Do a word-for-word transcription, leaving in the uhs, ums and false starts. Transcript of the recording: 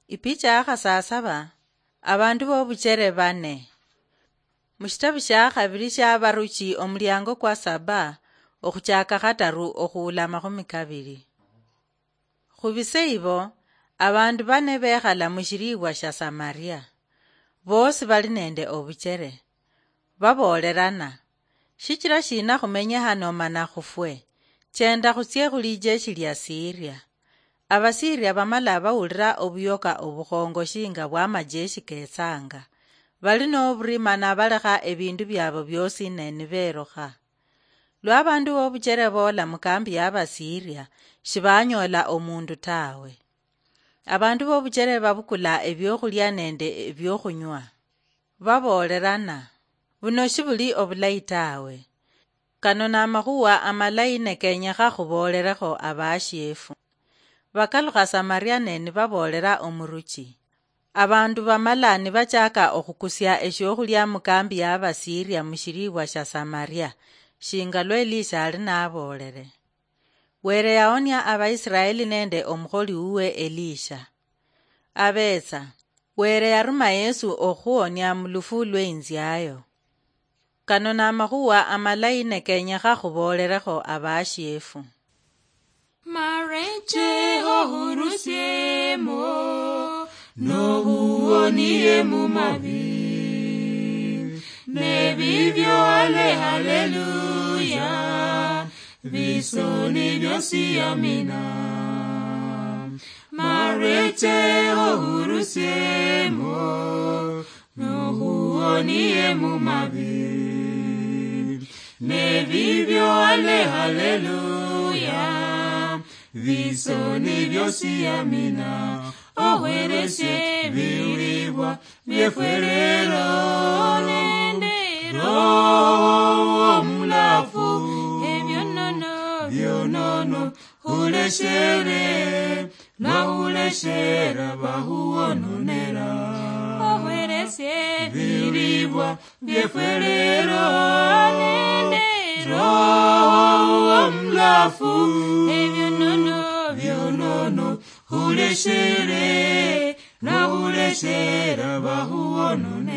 Ipicha ya khasasaba, abandu bobuchere bane. Mushitabu shia khabiri shia Abaruchi, omuliango kwa saba, okhuchaka khataru okhuula amakhumi kabiri. Khubise ibo, abandu bane bekhala mushilibwa shia Samaria. Bosi bali nende obuchere. Baboolerana, "Shichira shina khumenye hano mana khufwe? Chenda khutsie khu lijeshi lia Siria." Abasiria bamala bawulira obuyoka obukhongo shinga bwa amajeshi ketsanga, bali noburima nabalekha ebindu biabo biosi ne niberukha. Lwa abandu bobuchere boola mukambi ya Abasiria, shibanyoola omundu tawe. Abandu bobuchere babukula ebiokhulia nende ebiokhunywa. Baboolerana, "Buno shibuli obulayi tawe." Kano namakhuwa amalayi ne kenyekha khuboolerekho abashiefu. Bakalukha Samaria ne nibaboolera omuruchi. Abandu bamala nibachaka okhukusia eshiokhulia mukambi ya Abasiria mushilibwa shia Samaria, shinga lwa Elisha ali naboolere. Were yaonia Abaisiraeli nende omukholi wuwe Elisha. Abetsa, Were yaruma Yesu okhuonia mulufu lweinziayo. Kano namakhuwa amalayi ne kenyekha khuboolerekho abashiefu. Mareche ohurusiemo, nohuonie mumabi. Nebibyo ale haleluya, bisoni byosi amina. Mareche ohurusiemo, nohuonie mumabi. Nebibyo ale haleluya, bisoni byosi amina. Ohweresie bilibwa byefwerero nende Roho Omulafu, ebyonono byonono huleshere, nahuleshera bahuwononera. Ohweresie bilibwa byefwerero nende Roho Omulafu, ebyonono byonono huleshere, nahuleshera bahuwononera.